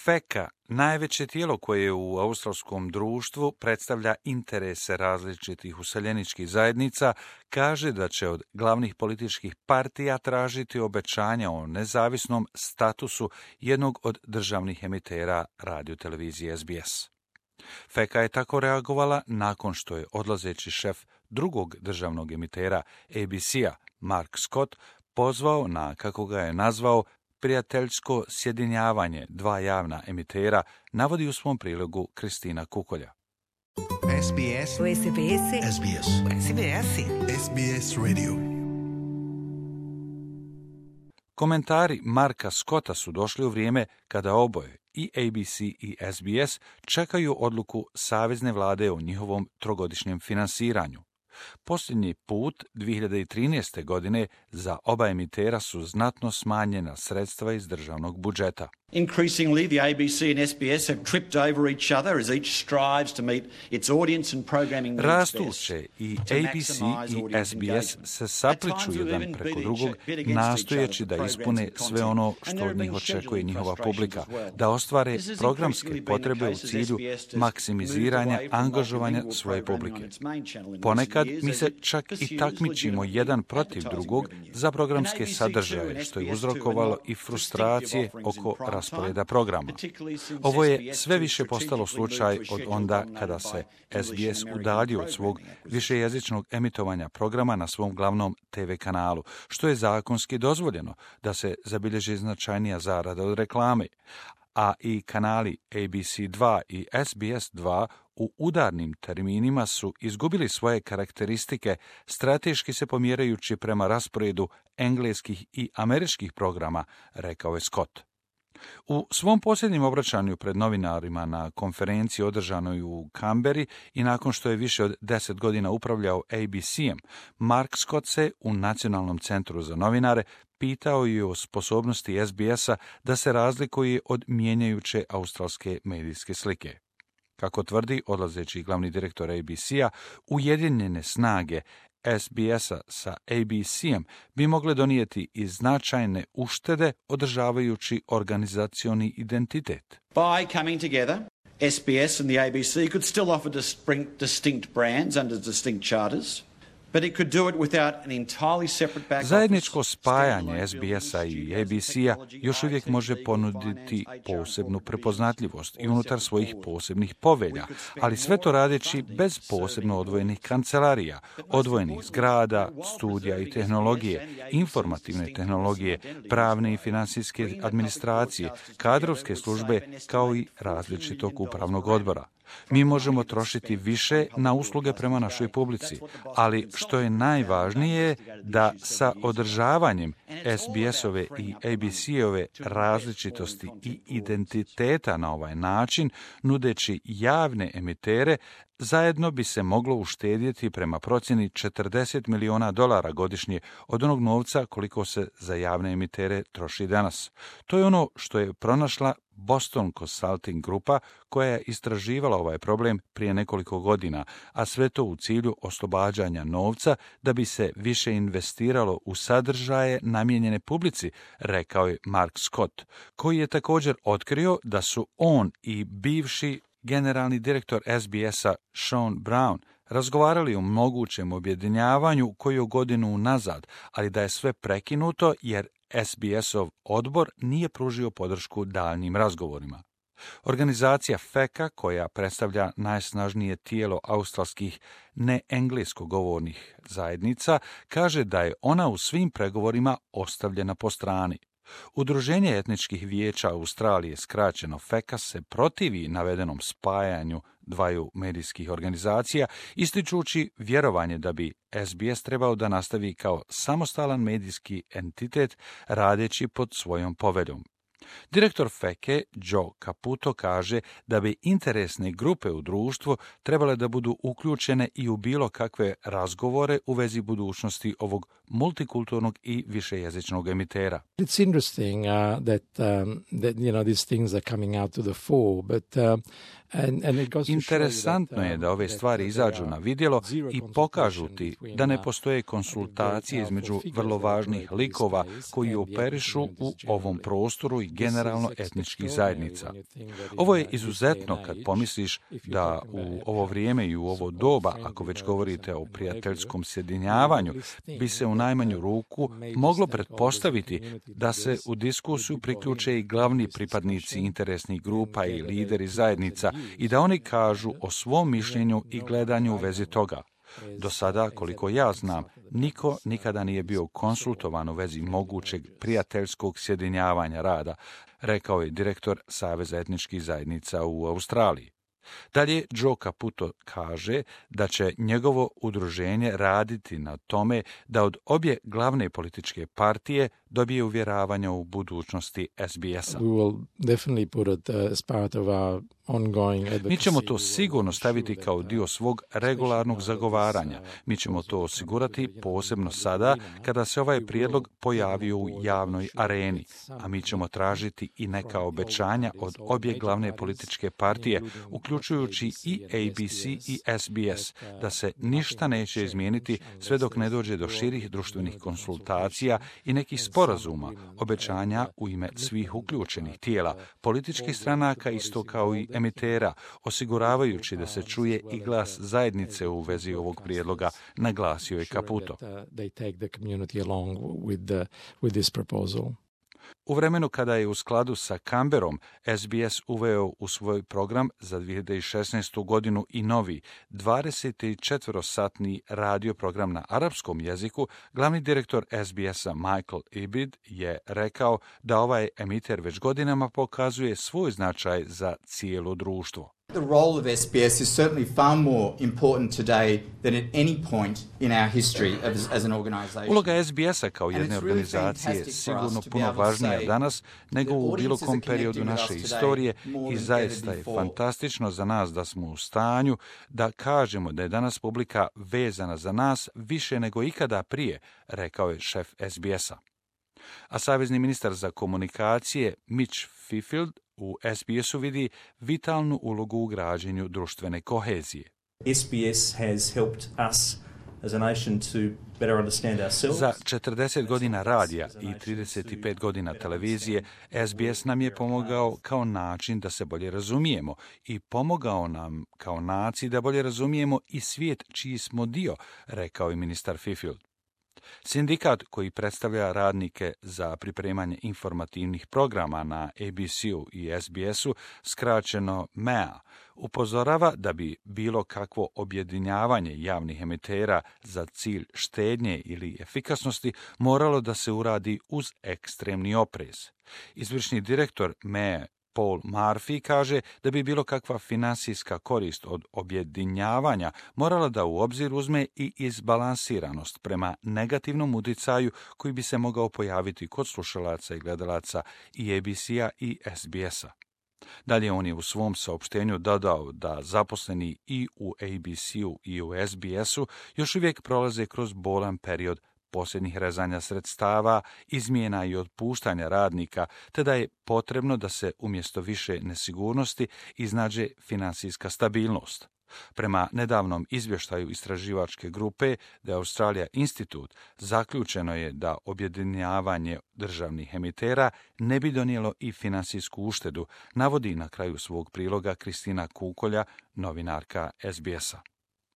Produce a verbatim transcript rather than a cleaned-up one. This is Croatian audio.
FECA, najveće tijelo koje u australskom društvu predstavlja interese različitih useljeničkih zajednica, kaže da će od glavnih političkih partija tražiti obećanja o nezavisnom statusu jednog od državnih emitera radiotelevizije S B S. FECA je tako reagovala nakon što je odlazeći šef drugog državnog emitera A B C-a, Mark Scott, pozvao na, kako ga je nazvao, prijateljsko sjedinjavanje dva javna emitera, navodi u svom prilogu Kristina Kukolja. S B S. S B S. S B S. S B S. S B S Radio. Komentari Marka Scotta su došli u vrijeme kada oboje, i A B C i S B S, čekaju odluku savezne vlade o njihovom trogodišnjem finansiranju. Posljednji put, dvije hiljade trinaeste. godine, za oba emitera su znatno smanjena sredstva iz državnog budžeta. Increasingly, the A B C and S B S have tripped over each other as each strives to meet its audience and programming needs best. Rastuće i A B C i S B S se sapliču jedan preko drugog, nastojeći da ispune sve ono što od njih očekuje njihova publika, da ostvare programske potrebe u cilju maksimiziranja angažovanja svoje publike. Ponekad mi se čak i takmičimo jedan protiv drugog za programske sadržaje, što je uzrokovalo i frustracije oko rasporeda programa. Ovo je sve više postalo slučaj od onda kada se S B S udaljio od svog višejezičnog emitovanja programa na svom glavnom T V kanalu, što je zakonski dozvoljeno da se zabilježi značajnija zarada od reklame, a i kanali A B C dva i S B S dva u udarnim terminima su izgubili svoje karakteristike, strateški se pomjerajući prema rasporedu engleskih i američkih programa, rekao je Scott. U svom posljednjem obraćanju pred novinarima na konferenciji održanoj u Kamberi i nakon što je više od deset godina upravljao A B C-em, Mark Scott se u Nacionalnom centru za novinare pitao i o sposobnosti S B S-a da se razlikuje od mijenjajuće australske medijske slike. Kako tvrdi odlazeći glavni direktor A B C-a, ujedinjene snage S B S-a sa A B C-em bi mogle donijeti i značajne uštede održavajući organizacioni identitet. By coming together, S B S and the A B C could still offer distinct brands under distinct charters, but it could do it without an entirely separate back office. Zajedničko spajanje S B S-a i A B C-a još uvijek može ponuditi posebnu prepoznatljivost i unutar svojih posebnih povelja, ali sve to radeći bez posebno odvojenih kancelarija, odvojenih zgrada, studija i tehnologije, informativne tehnologije, pravne i financijske administracije, kadrovske službe, kao i različitog upravnog odbora. Mi možemo trošiti više na usluge prema našoj publici, ali što je najvažnije da sa održavanjem S B S-ove i A B C-ove različitosti i identiteta na ovaj način, nudeći javne emitere, zajedno bi se moglo uštedjeti prema procjeni četrdeset miliona dolara godišnje od onog novca koliko se za javne emitere troši danas. To je ono što je pronašla Boston Consulting grupa koja je istraživala ovaj problem prije nekoliko godina, a sve to u cilju oslobađanja novca da bi se više investiralo u sadržaje namijenjene publici, rekao je Mark Scott, koji je također otkrio da su on i bivši generalni direktor S B S-a Sean Brown razgovarali o mogućem objedinjavanju koju godinu unazad, ali da je sve prekinuto jer S B S-ov odbor nije pružio podršku daljnjim razgovorima. Organizacija FECA, koja predstavlja najsnažnije tijelo australskih neenglesko govornih zajednica, kaže da je ona u svim pregovorima ostavljena po strani. Udruženje etničkih vijeća Australije, skraćeno FECA, se protivi navedenom spajanju dvaju medijskih organizacija, ističući vjerovanje da bi S B S trebao da nastavi kao samostalan medijski entitet radeći pod svojom poveljom. Direktor FECA Joe Caputo kaže da bi interesne grupe u društvu trebale da budu uključene i u bilo kakve razgovore u vezi budućnosti ovog multikulturnog i višejezičnog emitera. It's interesting uh, that um, that you know these things are coming out to the fore, but uh, Interesantno je da ove stvari izađu na vidjelo i pokažu ti da ne postoje konsultacije između vrlo važnih likova koji operišu u ovom prostoru i generalno etničkih zajednica. Ovo je izuzetno kad pomisliš da u ovo vrijeme i u ovo doba, ako već govorite o prijateljskom sjedinjavanju, bi se u najmanju ruku moglo pretpostaviti da se u diskusiju priključe i glavni pripadnici interesnih grupa i lideri zajednica i da oni kažu o svom mišljenju i gledanju u vezi toga. Do sada, koliko ja znam, niko nikada nije bio konsultovan u vezi mogućeg prijateljskog sjedinjavanja rada, rekao je direktor Saveza etničkih zajednica u Australiji. Dalje, Joe Caputo kaže da će njegovo udruženje raditi na tome da od obje glavne političke partije dobije uvjeravanja u budućnosti S B S-a. Mi ćemo to sigurno staviti kao dio svog regularnog zagovaranja. Mi ćemo to osigurati posebno sada kada se ovaj prijedlog pojavio u javnoj areni, a mi ćemo tražiti i neka obećanja od obje glavne političke partije, uključujući i A B C i S B S, da se ništa neće izmijeniti sve dok ne dođe do širih društvenih konsultacija i nekih sporazuma, obećanja u ime svih uključenih tijela, političkih stranaka isto kao i emitera, osiguravajući da se čuje i glas zajednice u vezi ovog prijedloga, naglasio je Caputo. U vremenu kada je u skladu sa Canberrom S B S uveo u svoj program za dvije hiljade šesnaestu. godinu i novi dvadesetčetverosatni radio program na arapskom jeziku, glavni direktor S B S-a Michael Ibid je rekao da ovaj emiter već godinama pokazuje svoj značaj za cijelo društvo. The role of S B S is certainly far more important today than at any point in our history as, as an organization. Uloga S B S-a kao jedne organizacije je sigurno puno važnija danas nego u bilo kom periodu naše istorije i zaista je fantastično za nas da smo u stanju da kažemo da je danas publika vezana za nas više nego ikada prije, rekao je šef S B S-a. A savezni ministar za komunikacije Mitch Fifield u S B S-u vidi vitalnu ulogu u građenju društvene kohezije. S B S has helped us as a nation to better understand ourselves. Za četrdeset godina radija i trideset pet godina televizije, S B S nam je pomogao kao način da se bolje razumijemo i pomogao nam kao naciji da bolje razumijemo i svijet čiji smo dio, rekao je ministar Fifield. Sindikat koji predstavlja radnike za pripremanje informativnih programa na A B C-u i S B S-u, skraćeno M E A, upozorava da bi bilo kakvo objedinjavanje javnih emitera za cilj štednje ili efikasnosti moralo da se uradi uz ekstremni oprez. Izvršni direktor M E A Paul Murphy kaže da bi bilo kakva finansijska korist od objedinjavanja morala da u obzir uzme i izbalansiranost prema negativnom utjecaju koji bi se mogao pojaviti kod slušalaca i gledalaca i A B C-a i S B S-a. Dalje on je u svom saopštenju dodao da zaposleni i u A B C-u i u S B S-u još uvijek prolaze kroz bolan period posljednjih rezanja sredstava, izmjena i otpuštanja radnika, te da je potrebno da se umjesto više nesigurnosti iznađe finansijska stabilnost. Prema nedavnom izvještaju istraživačke grupe The Australia Institute zaključeno je da objedinjavanje državnih emitera ne bi donijelo i finansijsku uštedu, navodi na kraju svog priloga Kristina Kukolja, novinarka S B S-a.